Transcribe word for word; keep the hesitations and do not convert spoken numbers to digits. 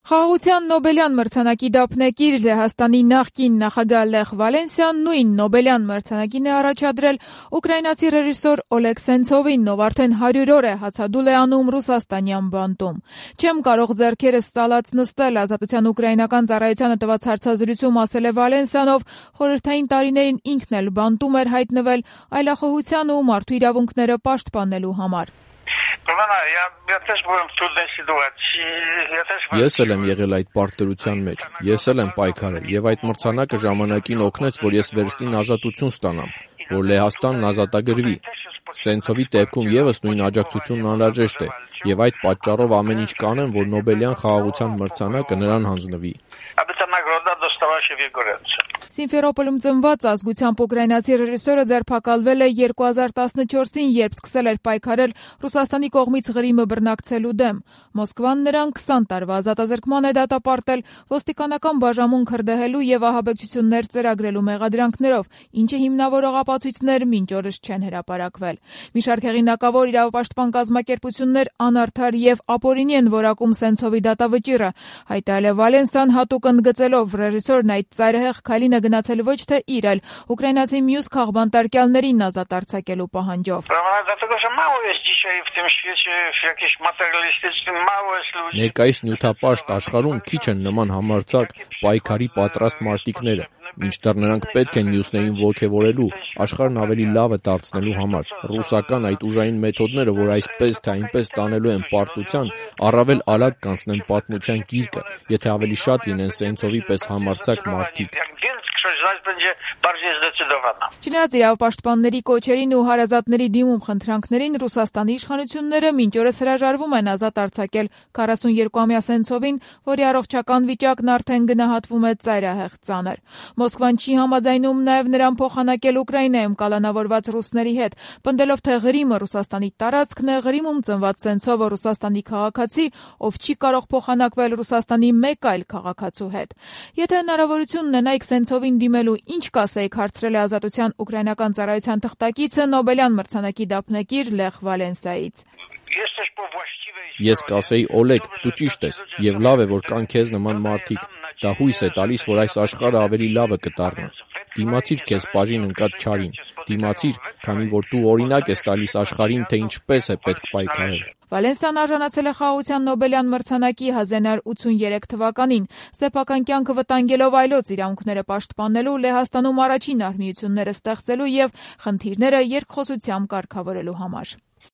Խաղաղության Նոբելյան մրցանակի դափնեկիր Լեհաստանի նախկին նախագահ Լեխ Վալենսյան նույն Նոբելյան մրցանակին է առաջադրել ուկրաինացի ռեժիսոր Օլեգ Սենցովին, ով արդեն հարյուր օր է հացադուլ է անում ռուսաստանյան բանտում։ «Չեմ կարող ձեռքերս ծալած նստել», Ազատության ուկրաինական ծառայությանը տված հարցազրույցում ասել է Վալենսյան, ով խորհրդային տարիներին ինքն էլ բանտում էր հայտնվել այլախոհության ու մարդու իրավունքները պաշտպանելու համար։ Ես էլ եմ եղել այդ պարտադրության մեջ, ես էլ եմ պայքարել, եւ այդ մրցանակը ժամանակին օգնեց, որ ես վերստին ազատություն ստանամ, որ Լեհաստանն ազատագրվի։ Սենցովի դեպքում եւս նույն աջակցությունն անհրաժեշտ է, եւ այդ պատճառով ամեն ինչ կանեմ, որ Նոբելյան խաղաղության մրցանակը նրան հանձնվի։ Սիմֆերոպոլում ծնված ազգությամբ ուկրաինացի ռեժիսորը ձերբակալվել է երկու հազար տասնչորսին, երբ սկսել էր պայքարել Ռուսաստանի կողմից Ղրիմը բռնակցելու դեմ։ Մոսկվան նրան քսան տարվա ազատազրկման է դատապարտել ոստիկանական բաժանմունք հրդեհելու եւ ահաբեկչություններ ծրագրելու մեղադրանքներով, ինչը հիմնավորող ապացույցներ մինչ օրս չեն հրապարակվել։ Մի շարք հեղինակավոր իրավապաշտպան կազմակերպություններ անարդար եւ ապօրինի են որակում Սենցովի դատավճիռը, հայտարարել է Վալենսյան հատուկ ընդգծելով ռեժիսորն այդ ծայրահեղ քայլին է գնացել ոչ թե իր, այլ ուկրաինացի մյուս քաղբանտարկյալներին ազատ արձակելու պահանջով։ Ներկայիս նյութապաշտ աշխարհում քիչ են նման համարձակ պայքարի պատրաստ մարտիկները, մինչդեռ նրանք պետք են մյուսներին ոգևորելու, աշխարհն ավելի լավը դարձնելու համար։ Ռուսական այդ ուժային մեթոդները, որ այսպես թե այնպես տանելու են պարտության, առավել արագ կանցնեն պատմության գիրկը, եթե ավելի շատ լինեն Սենցովի պես համարձակ մարդիկ։ Չնայած իրավապաշտպանների կոչերին ու հարազատների դիմում խնդրանքներին, Ռուսաստանի իշխանությունները մինչ օրս հրաժարվում են ազատ արձակել քառասունյոթամյա Սենցովին, որի առողջական վիճակն արդեն գնահատվում է ծայրահեղ ծանր։ Մոսկվան չի համաձայնում նաև նրան փոխանակել Ուկրաինայում կալանավորված ռուսների հետ, պնդելով, թե Ղրիմը Ռուսաստանի տարածքն է, Ղրիմում ծնված Սենցովը Ռուսաստանի քաղաքացի, ով չի կարող փոխանակվել Ռուսաստանի մեկ այլ քաղաքացու հետ։ Եթե հնարավորություն ունենայիք Սենցովին դիմելու, ինչ կասեիք, հարցրել է Ազատության ուկրաինական ծառայության թղթակիցը Նոբելյան մրցանակի դափնեկիր Լեխ Վալենսայից։ Ես կասեի, Օլեգ, դու ճիշտ ես, եւ լավ է, որ կան քեզ նման մարդիկ։ Դա հույս է տալիս, որ այս աշխարհը ավելի լավը կդառնա։ Դիմացիր քեզ բաժին ընկած չարին։ Դիմացիր, քանի որ դու օրինակ ես տալիս աշխարհին, թե ինչպես է պետք պայքարել։ Վալենսյան արժանացել է խաղաղության Նոբելյան մրցանակի հազար նոց ութսուներեք թվականին, սեփական կյանքը վտանգելով այլոց իրավունքները պաշտպանելու, Լեհաստանում առաջին արհմիությունները ստեղծելու եւ խնդիրները երկխոսությամբ կարգավորելու համար։